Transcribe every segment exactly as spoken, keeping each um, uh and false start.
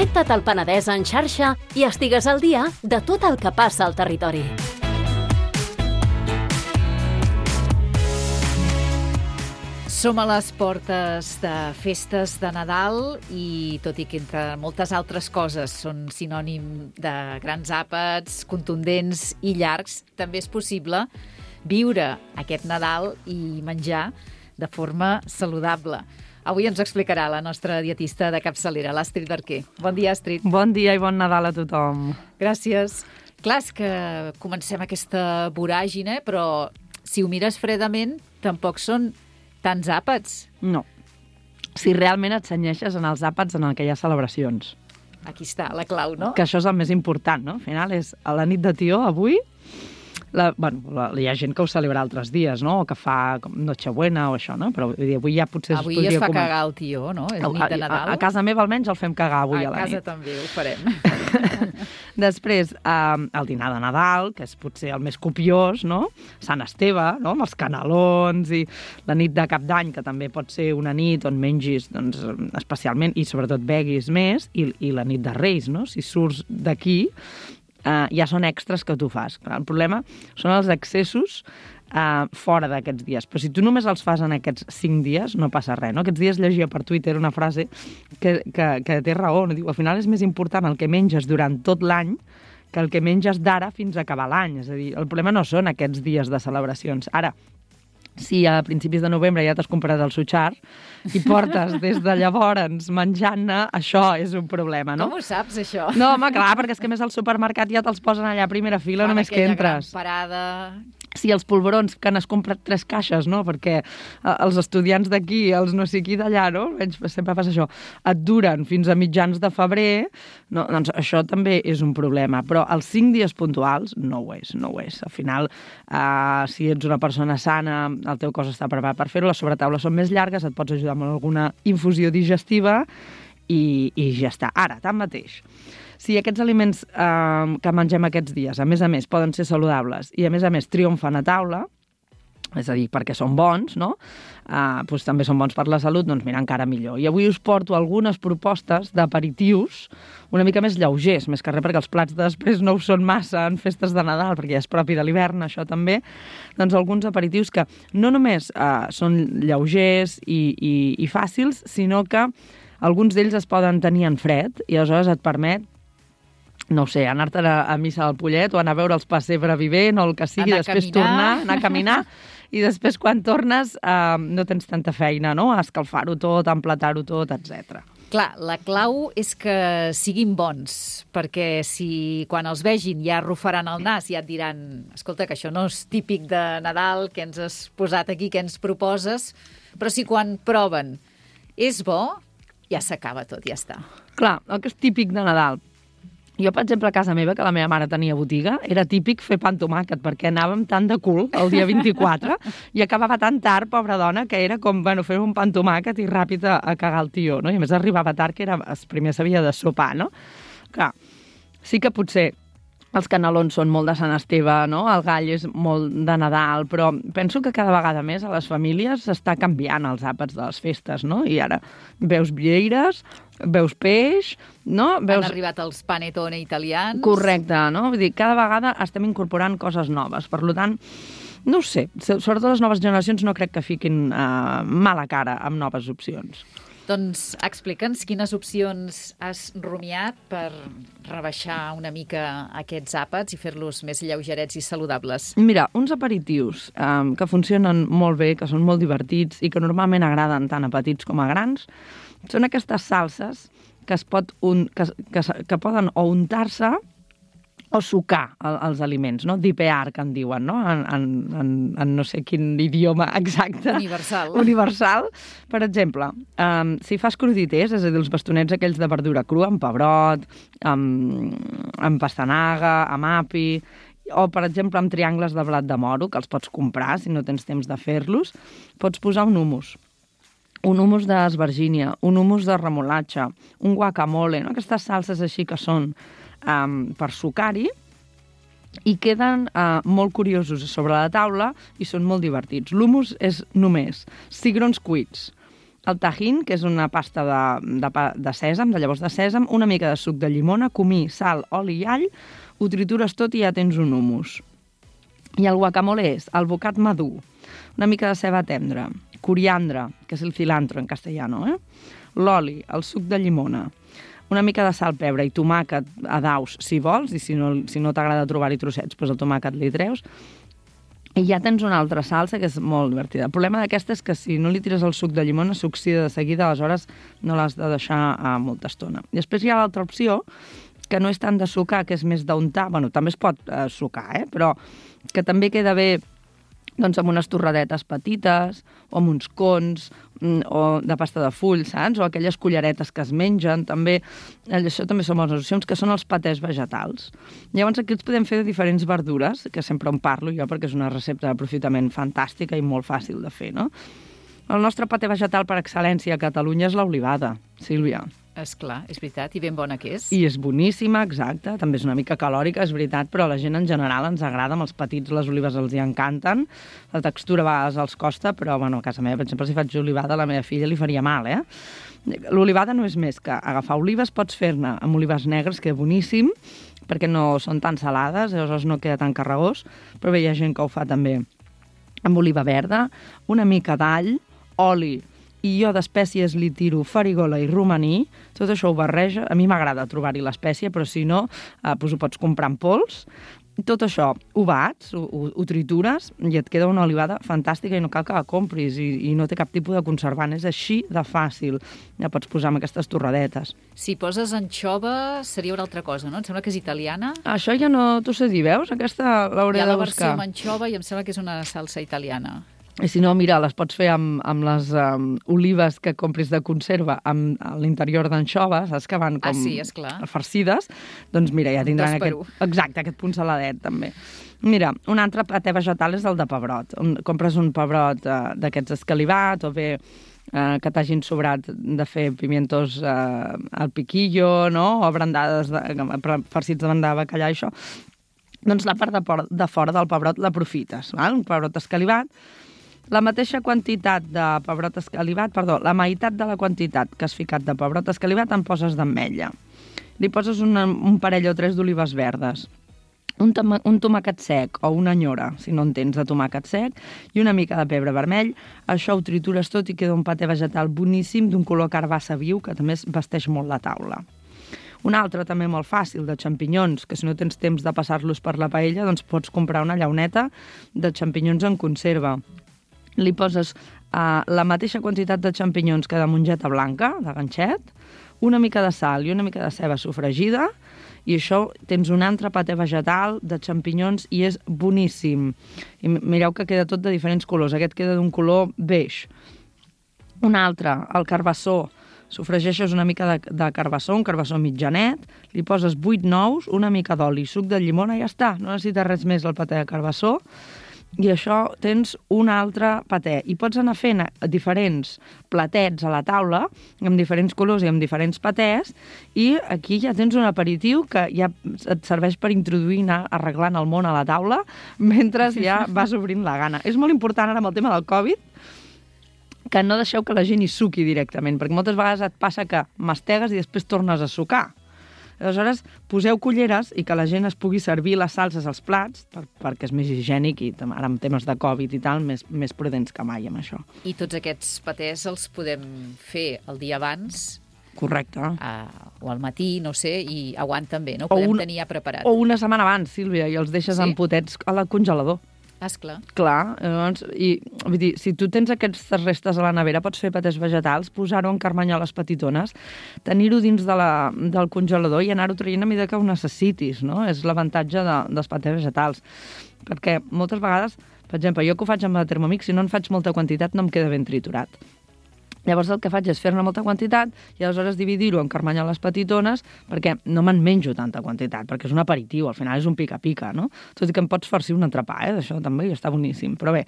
Connecta't al Penedès en xarxa i estigues al dia de tot el que passa al territori. Som a les portes de festes de Nadal i, tot i que entre moltes altres coses són sinònim de grans àpats, contundents i llargs, també és possible viure aquest Nadal i menjar de forma saludable. Avui ens explicarà la nostra dietista de capçalera, l'Astrid Arquer. Bon dia, Astrid. Bon dia i bon Nadal a tothom. Gràcies. Clar, és que comencem aquesta voràgine, però si ho mires fredament, tampoc són tants àpats. No. Si realment et cenyeixes en els àpats en què hi ha celebracions. Aquí està, la clau, no? Que això és el més important, no? Al final és a la nit de Tió, avui, la, bueno, la, hi ha gent que ho celebra altres dies, no? O que fa com Nochebuena o això, no? Però avui ja potser avui es podria... Avui es fa començar. cagar el tió, no? És nit de Nadal. A, a casa meva almenys el fem cagar avui a, a la A nit. casa també ho farem. Després, eh, el dinar de Nadal, que és potser el més copiós, no? Sant Esteve, no? Amb els canelons, i la nit de Cap d'Any, que també pot ser una nit on mengis doncs, especialment i sobretot beguis més, i, i la nit de Reis, no? Si surts d'aquí, Uh, ja són extras que tu fas. El problema són els excessos uh, fora d'aquests dies. Però si tu només els fas en aquests cinc dies, no passa res. No? Aquests dies llegia per Twitter una frase que, que, que té raó. No? Diu, al final és més important el que menges durant tot l'any que el que menges d'ara fins a acabar l'any. És a dir, el problema no són aquests dies de celebracions. Ara, si a principis de novembre ja t'has comprat el sutxar i portes des de llavors menjant-ne, això és un problema, no? Com ho saps, això? No, home, clar, perquè és que més al supermercat ja te'ls posen allà a primera fila, Fan només que entres. Gran parada... Sí, els polvorons, que n'has comprat tres caixes, no? Perquè els estudiants d'aquí, els no sé qui d'allà, no? Sempre passa això. Et duren fins a mitjans de febrer, no? Doncs això també és un problema. Però els cinc dies puntuals no ho és, no ho és. Al final, eh, si ets una persona sana, el teu cos està preparat per fer-ho, les sobretaules són més llargues, et pots ajudar amb alguna infusió digestiva i, i ja està. Ara, tanmateix, si aquests aliments eh, que mengem aquests dies, a més a més, poden ser saludables i a més a més triomfen a taula, és a dir, perquè són bons, no? Eh, doncs també són bons per la salut, doncs mira, encara millor. I avui us porto algunes propostes d'aperitius una mica més lleugers, més que res perquè els plats de després no ho són massa en festes de Nadal, perquè ja és propi de l'hivern, això també. Doncs alguns aperitius que no només eh, són lleugers i, i, i fàcils, sinó que alguns d'ells es poden tenir en fred i aleshores et permet no ho sé, anar-te'n a, a missa del Pollet o anar a veure els pessebre vivent o el que sigui, anar després tornar, anar a caminar, i després quan tornes eh, no tens tanta feina, no? A escalfar-ho tot, a emplatar-ho tot, etcètera. Clar, la clau és que siguin bons, perquè si quan els vegin ja arrufaran el nas i ja et diran, escolta, que això no és típic de Nadal, que ens has posat aquí, que ens proposes, però si quan proven és bo, ja s'acaba tot, ja està. Clar, el que és típic de Nadal. Jo, per exemple, a casa meva, que la meva mare tenia botiga, era típic fer pa amb tomàquet, perquè anàvem tant de cul el dia vint-i-quatre i acabava tan tard, pobra dona, que era com, bueno, fer un pa amb tomàquet i ràpid a, a cagar el tió, no? I a més arribava tard, que era, primer s'havia de sopar, no? Clar, sí que potser els canelons són molt de Sant Esteve, no? El gall és molt de Nadal, però penso que cada vegada més a les famílies s'està canviant els àpats de les festes, no? I ara veus vieires, veus peix, no? Veus... Han arribat els panettone italians. Correcte, no? Vull dir, cada vegada estem incorporant coses noves. Per tant, no ho sé, sobretot les noves generacions no crec que fiquin uh, mala cara amb noves opcions. Doncs explica'ns quines opcions has rumiat per rebaixar una mica aquests àpats i fer-los més lleugerets i saludables. Mira, uns aperitius um, que funcionen molt bé, que són molt divertits i que normalment agraden tant a petits com a grans, són aquestes salses que, es pot un, que, que, que poden o untar-se o sucar el, els aliments, no? Dipear, que en diuen, no? En, en, en, en no sé quin idioma exacte. Universal. Universal. Per exemple, um, si fas crudités, és a dir, els bastonets aquells de verdura crua, amb pebrot, amb, amb pastanaga, amb api, o, per exemple, amb triangles de blat de moro, que els pots comprar si no tens temps de fer-los, pots posar un hummus. Un hummus d'esvergínia, un hummus de remolatxa, un guacamole, no? Aquestes salses així que són um, per sucar-hi i queden uh, molt curiosos sobre la taula i són molt divertits. L'hummus és només cigrons cuits, el tajín, que és una pasta de, de, de sèsam, de llavors de sèsam, una mica de suc de llimona, comí, sal, oli i all, ho tritures tot i ja tens un hummus. I el guacamole és alvocat madur, una mica de ceba tendra, coriandre, que és el cilantro en castellano, eh? L'oli, el suc de llimona, una mica de sal, pebre i tomàquet a daus, si vols, i si no, si no t'agrada trobar-hi trossets, doncs el tomàquet li treus. I ja tens una altra salsa que és molt divertida. El problema d'aquesta és que si no li tires el suc de llimona s'oxida de seguida, aleshores no l'has de deixar a molta estona. Després hi ha l'altra opció, que no és tant de sucar, que és més d'untar, bueno, també es pot eh, sucar, eh? Però que també queda bé doncs, amb unes torradetes petites, o amb uns cons, o de pasta de full, saps? O aquelles culleretes que es mengen, també. Això també són bones opcions, que són els patès vegetals. Llavors aquí els podem fer de diferents verdures, que sempre en parlo jo, perquè és una recepta d'aprofitament fantàstica i molt fàcil de fer, no? El nostre patè vegetal per excel·lència a Catalunya és l'olivada, Sílvia. És clar, és veritat, i ben bona que és. I és boníssima, exacte, també és una mica calòrica, és veritat, però a la gent en general ens agrada, amb els petits les olives els hi encanten, la textura a vegades els costa, però bueno, a casa meva, per exemple, si faig olivada, a la meva filla li faria mal, eh? L'olivada no és més que agafar olives, pots fer-ne amb olives negres, que és boníssim, perquè no són tan salades, llavors no queda tan carregós, però bé, hi ha gent que ho fa també amb oliva verda, una mica d'all, oli, i jo d'espècies li tiro farigola i romaní, tot això ho barreja, a mi m'agrada trobar-hi l'espècie, però si no, eh, doncs ho pots comprar en pols, tot això ho bats, ho, ho, ho tritures, i et queda una olivada fantàstica i no cal que la compris, i, i no té cap tipus de conservant, és així de fàcil, ja pots posar amb aquestes torradetes. Si poses anxova seria una altra cosa, no? Em sembla que és italiana. Això ja no t'ho sé dir, veus? Aquesta l'hauré de buscar. Hi ha la versió amb anxova i em sembla que és una salsa italiana. I si no, mira, les pots fer amb, amb les um, olives que compris de conserva amb a l'interior d'anxova, saps que van com ah, sí, esclar. farcides? Doncs mira, ja tindran aquest, exacte, aquest punt saladet també. Mira, un altre patè vegetal és el de pebrot. Compres un pebrot uh, d'aquests escalivat o bé uh, que t'hagin sobrat de fer pimientos uh, al piquillo, no? O brandades, de, farcits de bandada de bacallà, això. Doncs la part de, por, de fora del pebrot l'aprofites, val? Un pebrot escalivat. La mateixa quantitat de pebrot escalivat, perdó, la meitat de la quantitat que has ficat de pebrot escalivat en poses d'ametlla. Li poses una, un parell o tres d'olives verdes, un, toma, un tomàquet sec o una nyora, si no en tens de tomàquet sec, i una mica de pebre vermell. Això ho tritures tot i queda un patè vegetal boníssim d'un color carbassa viu que també es vesteix molt la taula. Un altre també molt fàcil, de xampinyons, que si no tens temps de passar-los per la paella, doncs pots comprar una llauneta de xampinyons en conserva. Li poses uh, la mateixa quantitat de xampinyons que de mongeta blanca, de ganxet, una mica de sal i una mica de ceba sofregida, i això tens un altre patè vegetal de xampinyons i és boníssim. I mireu que queda tot de diferents colors. Aquest queda d'un color beix. Un altre, el carbassó. Sofregeixes una mica de, de carbassó, un carbassó mitjanet, li poses vuit nous, una mica d'oli, suc de llimona i ja està. No necessites res més el patè de carbassó. I això tens un altre patè. I pots anar fent diferents platets a la taula, amb diferents colors i amb diferents patès, i aquí ja tens un aperitiu que ja et serveix per introduir, anar arreglant el món a la taula, mentre ja vas obrint la gana. És molt important ara amb el tema del Covid, que no deixeu que la gent hi suqui directament, perquè moltes vegades et passa que mastegues i després tornes a sucar. Aleshores, poseu culleres i que la gent es pugui servir les salses als plats, per, perquè és més higiènic i ara amb temes de Covid i tal, més, més prudents que mai amb això. I tots aquests patès els podem fer el dia abans. Correcte. Uh, o al matí, no sé, i aguanten bé, no? Ho podem un, tenir ja preparat. O una setmana abans, Sílvia, i els deixes sí? en potets a la congelador. Ah, esclar. Clar, llavors, i, vull dir, si tu tens aquestes restes a la nevera, pots fer patès vegetals, posar-ho en carmanyoles petitones, tenir-ho dins de la, del congelador i anar-ho traient a mesura que ho necessitis, no? És l'avantatge de, dels patès vegetals. Perquè moltes vegades, per exemple, jo que ho faig amb la Thermomix, si no en faig molta quantitat no em queda ben triturat. Llavors el que faig és fer-ne molta quantitat i aleshores dividir-ho en carmanyoles petitones perquè no me'n menjo tanta quantitat, perquè és un aperitiu, al final és un pica-pica, no? Tot i que em pots farcir un entrepà, eh? Això també està boníssim, però bé.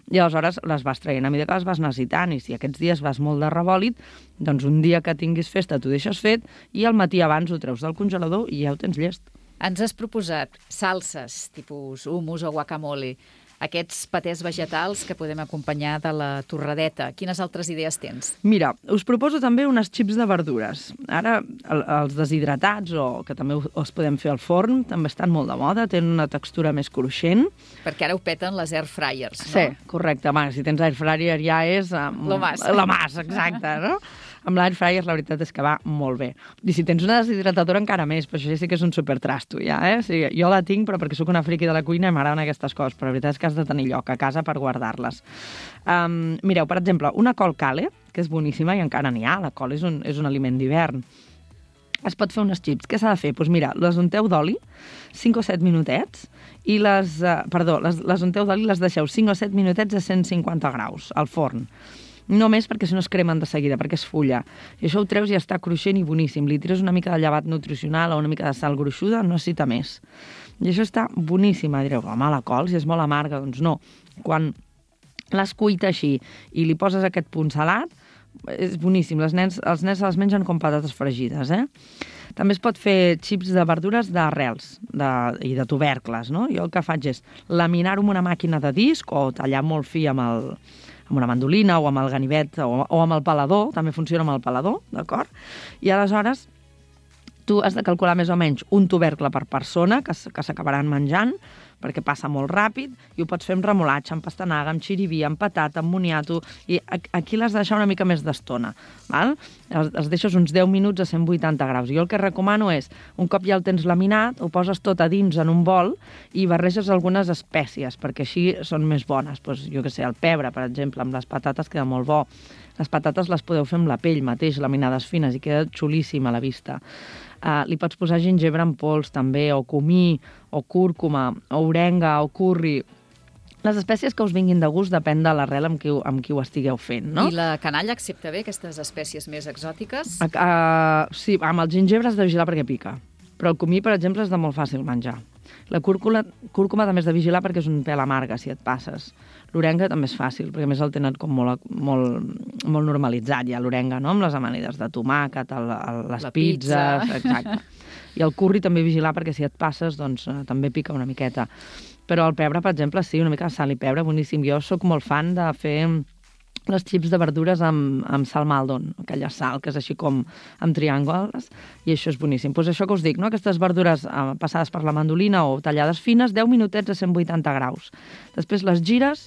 I aleshores les vas traient a mesura que les vas necessitant i si aquests dies vas molt de rebòlit, doncs un dia que tinguis festa t'ho deixes fet i al matí abans ho treus del congelador i ja ho tens llest. Ens has proposat salses, tipus hummus o guacamole. aquests patés vegetals que podem acompanyar de la torradeta. Quines altres idees tens? Mira, us proposo també unes xips de verdures. Ara, el, els deshidratats, o que també els podem fer al forn, també estan molt de moda, tenen una textura més cruixent. Perquè ara ho peten les air fryers, no? Sí, correcte. Home, si tens air fryer ja és... Um, Lo más. Lo más, exacte, no? Amb l'air fryer la veritat és que va molt bé. I si tens una deshidratadora encara més, però això ja sí que és un supertrasto, ja, eh? O sigui, jo la tinc, però perquè sóc una friqui de la cuina i m'agraden aquestes coses, però la veritat és que has de tenir lloc a casa per guardar-les. Um, mireu, per exemple, una col cale, que és boníssima i encara n'hi ha, la col és un, és un aliment d'hivern. Es pot fer unes xips. Què s'ha de fer? Doncs mira, les unteu d'oli, cinc o set minutets, i les, uh, perdó, les, les unteu d'oli les deixeu cinc o set minutets a cent cinquanta graus, al forn. No més perquè si no es cremen de seguida, perquè és fulla. I això ho treus i està cruixent i boníssim. Li tires una mica de llevat nutricional o una mica de sal gruixuda, no necessita més. I això està boníssima. Direu, home, la col, si és molt amarga, doncs no. Quan l'has cuita així i li poses aquest punt salat, és boníssim. Les nens, els nens se les mengen com patates fregides, eh? També es pot fer xips de verdures d'arrels de, i de tubercles, no? Jo el que faig és laminar-ho amb una màquina de disc o tallar molt fi amb el... amb una mandolina o amb el ganivet o, o amb el pelador, també funciona amb el pelador, d'acord? I aleshores tu has de calcular més o menys un tubercle per persona que, que s'acabaran menjant, perquè passa molt ràpid, i ho pots fer amb remolatge, amb pastanaga, amb xiriví, amb patata, amb moniato, i aquí l'has de deixar una mica més d'estona, val? Els, els deixes uns deu minuts a cent vuitanta graus. Jo el que recomano és, un cop ja el tens laminat, ho poses tot a dins en un bol i barreges algunes espècies, perquè així són més bones. Pues, jo què sé, el pebre, per exemple, amb les patates queda molt bo. Les patates les podeu fer amb la pell mateix, laminades fines, i queda xulíssima a la vista. Uh, li pots posar gingebre en pols, també, o comí, o cúrcuma, o orenga, o curri. Les espècies que us vinguin de gust depèn de l'arrel amb, qui, amb qui ho estigueu fent, no? I la canalla accepta bé aquestes espècies més exòtiques? Uh, uh, sí, amb el gingebre has de vigilar perquè pica. Però el comí, per exemple, és de molt fàcil menjar. La cúrcuma, cúrcuma també has de vigilar perquè és un pèl amarga, si et passes. L'orenga també és fàcil, perquè a més el tenen com molt, molt, molt normalitzat ja, l'orenga, no? Amb les amanides de tomàquet, el, el, les la pizzas... pizza. Exacte. I el curri també vigilar perquè si et passes, doncs eh, també pica una miqueta. Però el pebre, per exemple, sí, una mica de sal i pebre, boníssim. Jo sóc molt fan de fer les xips de verdures amb, amb sal Maldon, aquella sal que és així com amb triàngules, i això és boníssim. Doncs això que us dic, no? Aquestes verdures eh, passades per la mandolina o tallades fines, deu minutets a cent vuitanta graus. Després les gires,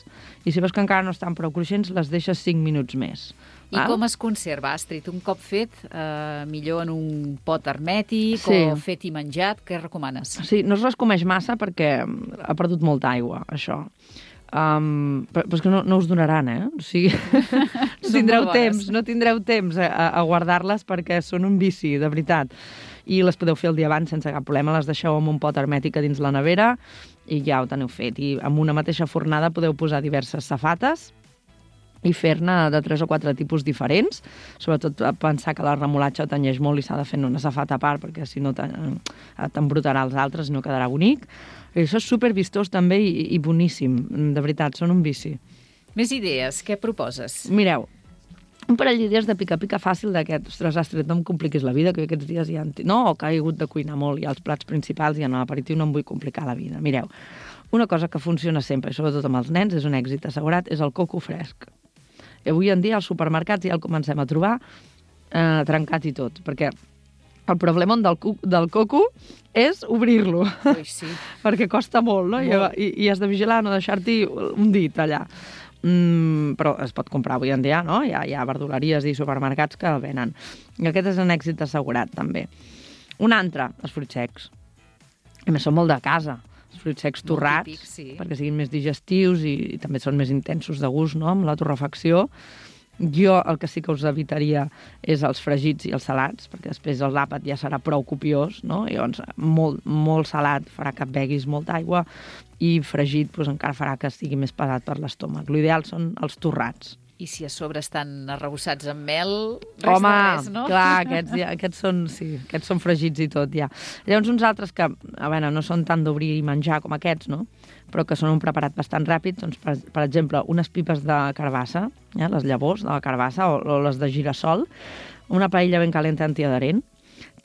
i si veus que encara no estan prou cruixents, les deixes cinc minuts més. I val? Com es conserva, Astrid? Un cop fet, eh, millor en un pot hermètic sí. o fet i menjat, què recomanes? Sí, no es rescomeix massa perquè ha perdut molta aigua, això. Um, però, però és que no, no us donaran, eh? O sigui, no tindreu temps, no tindreu temps a, a guardar-les perquè són un vici, de veritat. I les podeu fer el dia abans sense cap problema, les deixeu en un pot hermètic a dins la nevera i ja ho teniu fet. I amb una mateixa fornada podeu posar diverses safates i fer-ne de tres o quatre tipus diferents, sobretot pensar que la remolatxa tenyeix molt i s'ha de fer una safata a part perquè si no t'embrutarà els altres i no quedarà bonic. I això és supervistós també i, i boníssim, de veritat, són un vici. Més idees, què proposes? Mireu, un parell d'idees de pica-pica fàcil d'aquest, ostres, Astrid, no em compliquis la vida, que aquests dies ja... No, que he hagut de cuinar molt i els plats principals i en l'aperitiu no em vull complicar la vida. Mireu, una cosa que funciona sempre, i sobretot amb els nens, és un èxit assegurat, és el coco fresc. I avui en dia als supermercats ja el comencem a trobar eh, trencat i tot, perquè el problema del, del coco és obrir-lo, Ui, sí. perquè costa molt, no? Molt. I, I has de vigilar no deixar-t'hi un dit allà. Mm, però es pot comprar avui en dia, no? Hi ha, hi ha verduleries i supermercats que el venen. I aquest és un èxit assegurat, també. Un altre, els fruits secs. A més, són molt de casa. Els fruits secs torrats, típic, sí. perquè siguin més digestius i, i també són més intensos de gust, no?, amb la torrefacció. Jo el que sí que us evitaria és els fregits i els salats, perquè després el l'àpat ja serà prou copiós, no? I llavors molt, molt salat farà que beguis molta aigua i fregit doncs, encara farà que estigui més pesat per l'estómac. L'ideal són els torrats. I si a sobre estan arrebossats amb mel, res Home, de res, no? clar, aquests, ja, aquests, són, sí, aquests són fregits i tot, ja. Llavors uns altres que, a veure, no són tant d'obrir i menjar com aquests, no?, però que són un preparat bastant ràpid, doncs, per, per exemple, unes pipes de carbassa, ja, les llavors de la carbassa o, o les de girassol, una paella ben calenta antiadherent,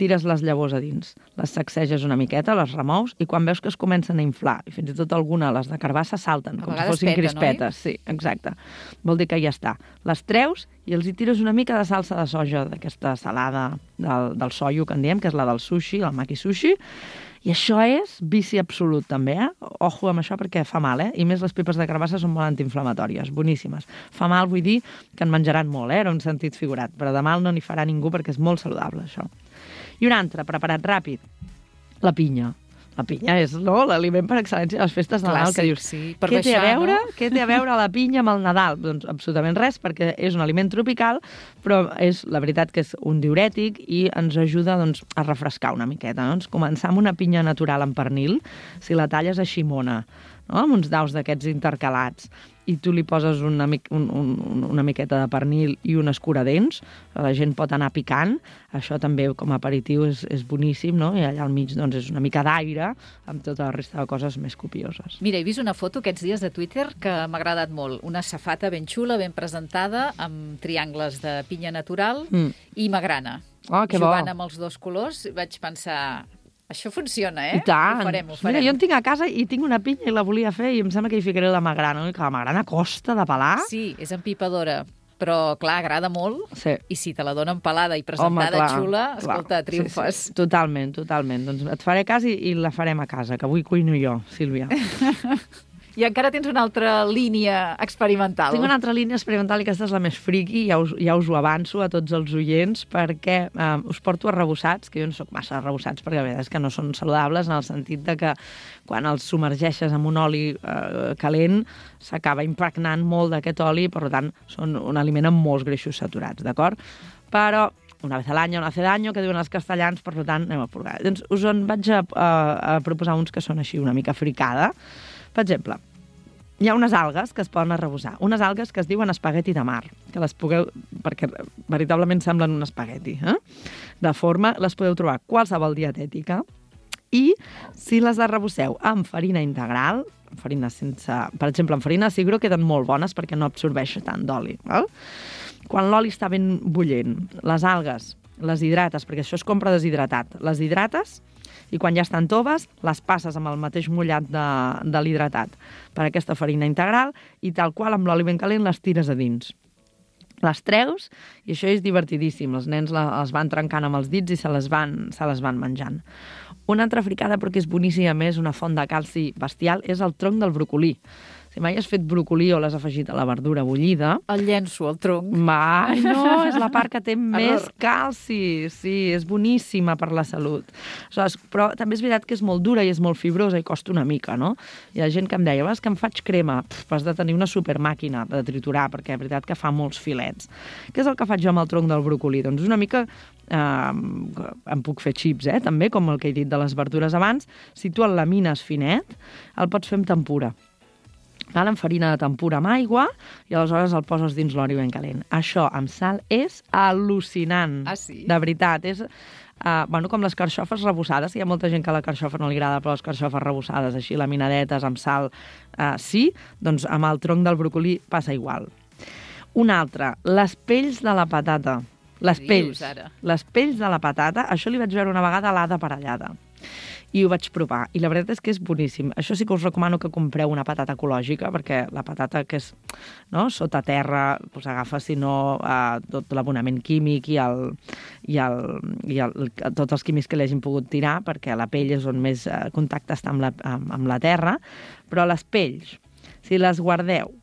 tires les llavors a dins, les sacseges una miqueta, les remous, i quan veus que es comencen a inflar, i fins i tot alguna, les de carbassa, salten, a com si vegades fossin peten, crispetes. Sí, exacte. Vol dir que ja està. Les treus i els hi tires una mica de salsa de soja, d'aquesta salada del, del soio, que en diem, que és la del sushi, el maki sushi, i això és vici absolut, també, eh? Ojo amb això perquè fa mal, eh? I més les pipes de carbassa són molt antiinflamatòries, boníssimes. Fa mal, vull dir, que en menjaran molt, eh? Era un sentit figurat, però de mal no n'hi farà ningú perquè és molt saludable, això. I un altre, preparat ràpid, la pinya. La pinya és, no?, l'aliment per excel·lència de les festes de Nadal, que dius, sí, per què té baixar, a veure? no? Què té a veure la pinya amb el Nadal? Doncs absolutament res, perquè és un aliment tropical, però és la veritat que és un diürètic i ens ajuda, doncs, a refrescar una miqueta. Doncs començar amb una pinya natural en pernil, si la talles a ximona, no?, amb uns daus d'aquests intercalats, i tu li poses una, mi un, un, una miqueta de pernil i un escuradents, la gent pot anar picant, això també com a aperitiu és, és boníssim, no? I allà al mig doncs, és una mica d'aire amb tota la resta de coses més copioses. Mira, he vist una foto aquests dies de Twitter que m'ha agradat molt. Una safata ben xula, ben presentada, amb triangles de pinya natural mm. i magrana. Oh, que bo. Jugant amb els dos colors, vaig pensar... Això funciona, eh? I tant. Ho farem, ho farem. Mira, jo en tinc a casa i tinc una pinya i la volia fer i em sembla que hi ficaré la magrana. Que la magrana costa de pelar. Sí, és empipadora, però, clar, agrada molt. Sí. I si te la donen pelada i presentada Home, clar, xula, escolta, clar. triomfes. Sí, sí. Totalment, totalment. Doncs et faré cas i, i la farem a casa, que avui cuino jo, Sílvia. I encara tens una altra línia experimental. Tinc una altra línia experimental i aquesta és la més friqui, ja us, ja us ho avanço a tots els oients, perquè eh, us porto arrebossats, que jo no soc massa arrebossats, perquè a vegades que no són saludables, en el sentit de que quan els submergeixes en un oli eh, calent s'acaba impregnant molt d'aquest oli, per tant, són un aliment amb molts greixos saturats, d'acord? Però una vez al año, no hace daño, que diuen els castellans, per tant, anem a provar. Doncs us en vaig a, a, a proposar uns que són així una mica fricada. Per exemple, hi ha unes algues que es poden arrebossar, unes algues que es diuen espagueti de mar, que les pugueu, perquè veritablement semblen un espagueti, eh? De forma, les podeu trobar qualsevol dietètica, i si les arrebosseu amb farina integral, farina sense, per exemple, amb farina de sigro queden molt bones perquè no absorbeix tant d'oli. Val? Quan l'oli està ben bullent, les algues les hidrates, perquè això es compra deshidratat, les hidrates i quan ja estan toves, les passes amb el mateix mullat de, de l'hidratat per aquesta farina integral i tal qual amb l'oli ben calent les tires a dins. Les treus i això és divertidíssim. Els nens les van trencant amb els dits i se les van, se les van menjant. Una altra fricada, però que és boníssima, més una font de calci bestial, és el tronc del brocolí. Si mai has fet brocolí o l'has afegit a la verdura bullida... El llenço, el tronc. Mai, no, és la part que té més calci. Sí, és boníssima per la salut. Aleshores, però també és veritat que és molt dura i és molt fibrosa i costa una mica, no? Hi ha gent que em deia, vas que em faig crema, Pff, has de tenir una supermàquina de triturar, perquè és veritat que fa molts filets. Què és el que faig jo amb el tronc del brocolí? Doncs una mica... Eh, em puc fer xips, eh, també, com el que he dit de les verdures abans. Si tu el lamines finet, el pots fer amb tempura. Amb farina de tempura amb aigua i aleshores el poses dins l'oli ben calent. Això amb sal és al·lucinant. Ah, sí? De veritat. És, uh, bueno, com les carxofes rebossades. Hi ha molta gent que la carxofa no li agrada, però les carxofes rebossades, així laminadetes, amb sal, uh, sí. Doncs amb el tronc del brocolí passa igual. Un altre, les pells de la patata. Les pells. Les pells de la patata, això li vaig veure una vegada a l'Ada Parellada. I ho vaig provar, i la veritat és que és boníssim. Això sí que us recomano que compreu una patata ecològica, perquè la patata que és, no, sota terra, doncs agafa, si no, eh, tot l'abonament químic i, el, i, el, i el, tots els químics que li hagin pogut tirar, perquè la pell és on més eh, contacte està amb la, amb, amb la terra, però les pells, si les guardeu,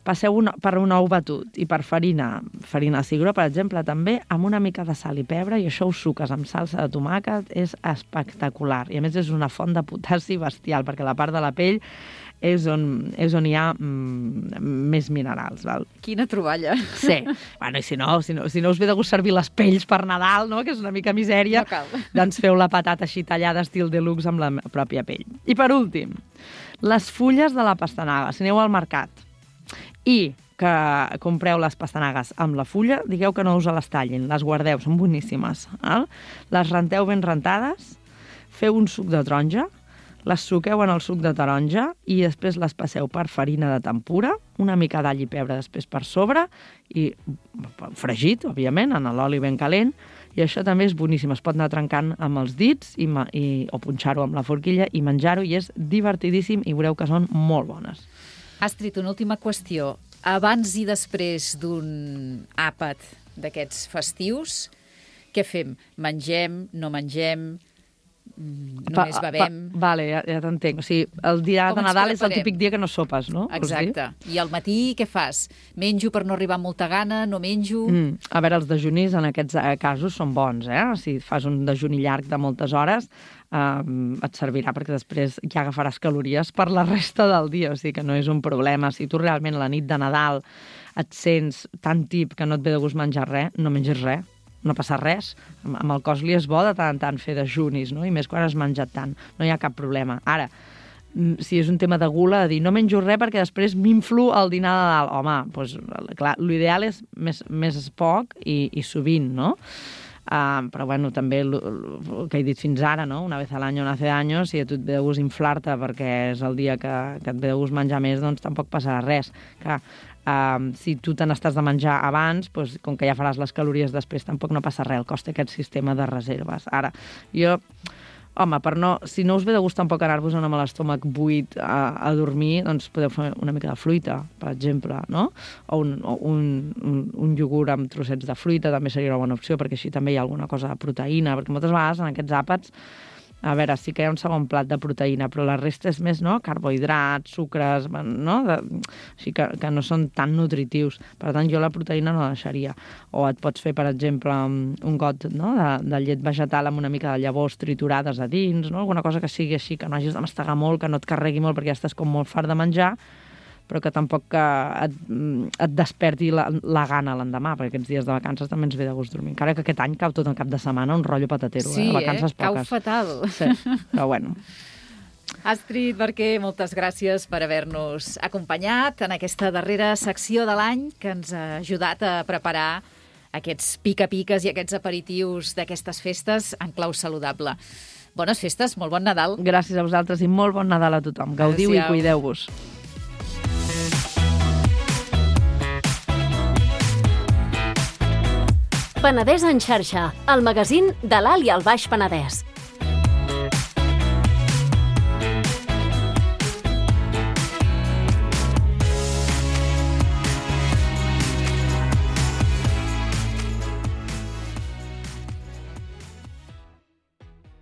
passeu un, per un ou batut i per farina, farina de cigró, per exemple, també, amb una mica de sal i pebre, i això ho suques amb salsa de tomàquet, és espectacular. I a més és una font de potassi bestial, perquè la part de la pell és on, és on hi ha mm, més minerals. Val? Quina troballa. Sí. Bueno, i si no, si no, si no us ve de gust servir les pells per Nadal, no?, que és una mica misèria, no doncs feu la patata així tallada estil deluxe amb la pròpia pell. I per últim, les fulles de la pastanaga. Si aneu al mercat i que compreu les pastanagues amb la fulla, digueu que no us les tallin, les guardeu, són boníssimes. Eh? Les renteu ben rentades, feu un suc de taronja, les suqueu en el suc de taronja i després les passeu per farina de tempura, una mica d'all i pebre després per sobre, i fregit, òbviament, en l'oli ben calent, I això també és boníssim. Es pot anar trencant amb els dits i, i, o punxar-ho amb la forquilla i menjar-ho, i és divertidíssim i veureu que són molt bones. Astrid, una última qüestió. Abans i després d'un àpat d'aquests festius, què fem? Mengem, no mengem, només bevem? Pa, pa, vale, ja, ja t'entenc. O sigui, el dia Com de ens Nadal és el preparem? típic dia que no sopes, no? Exacte. I al matí què fas? Menjo per no arribar amb molta gana? No menjo? Mm. A veure, els dejunis en aquests casos són bons, eh? Si fas un dejuni llarg de moltes hores, eh, et servirà perquè després ja agafaràs calories per la resta del dia, o sigui que no és un problema. Si tu realment la nit de Nadal et sents tan tip que no et ve de gust menjar res, no mengis res. No passa res. Amb el cos li és bo de tant en tant fer dejunis, no? I més quan has menjat tant. No hi ha cap problema. Ara, si és un tema de gula, de dir no menjo res perquè després m'inflo al dinar de Nadal. Home, doncs, clar, l'ideal és més, més poc i, i sovint, no? Uh, però, bueno, també el, el que he dit fins ara, no? Una vez al año nace años, si a tu et ve de gust inflar-te perquè és el dia que, que et ve de gust menjar més, doncs tampoc passarà res. Clar, Uh, si tu te n'estàs de menjar abans, doncs, com que ja faràs les calories després, tampoc no passa res, el cost aquest sistema de reserves. Ara, jo, home, per no, si no us ve de gust tampoc anar-vos amb l'estómac buit a, a dormir, doncs podeu fer una mica de fruita, per exemple, no? O un, o un, un, un iogurt amb trossets de fruita també seria una bona opció, perquè així també hi ha alguna cosa de proteïna, perquè moltes vegades en aquests àpats, a veure, sí que hi ha un segon plat de proteïna, però la resta és més, no?, carbohidrats, sucres, no?, de, així que, que no són tan nutritius. Per tant, jo la proteïna no la deixaria. O et pots fer, per exemple, un got, no?, de, de llet vegetal amb una mica de llavors triturades a dins, no?, alguna cosa que sigui així, que no hagis de mastegar molt, que no et carregui molt perquè ja estàs com molt fart de menjar, però que tampoc que et, et desperti la, la gana l'endemà, perquè aquests dies de vacances també ens ve de gust dormir. Encara que aquest any cau tot el cap de setmana un rotllo patatero, sí, eh? Vacances eh? Cau poques. fatal. Sí, però bueno. Astrid Barquer, moltes gràcies per haver-nos acompanyat en aquesta darrera secció de l'any que ens ha ajudat a preparar aquests pica-piques i aquests aperitius d'aquestes festes en clau saludable. Bones festes, molt bon Nadal. Gràcies a vosaltres i molt bon Nadal a tothom. Gaudiu i cuideu-vos. Penedès en xarxa, el magazín de l'Alt i el Baix Penedès.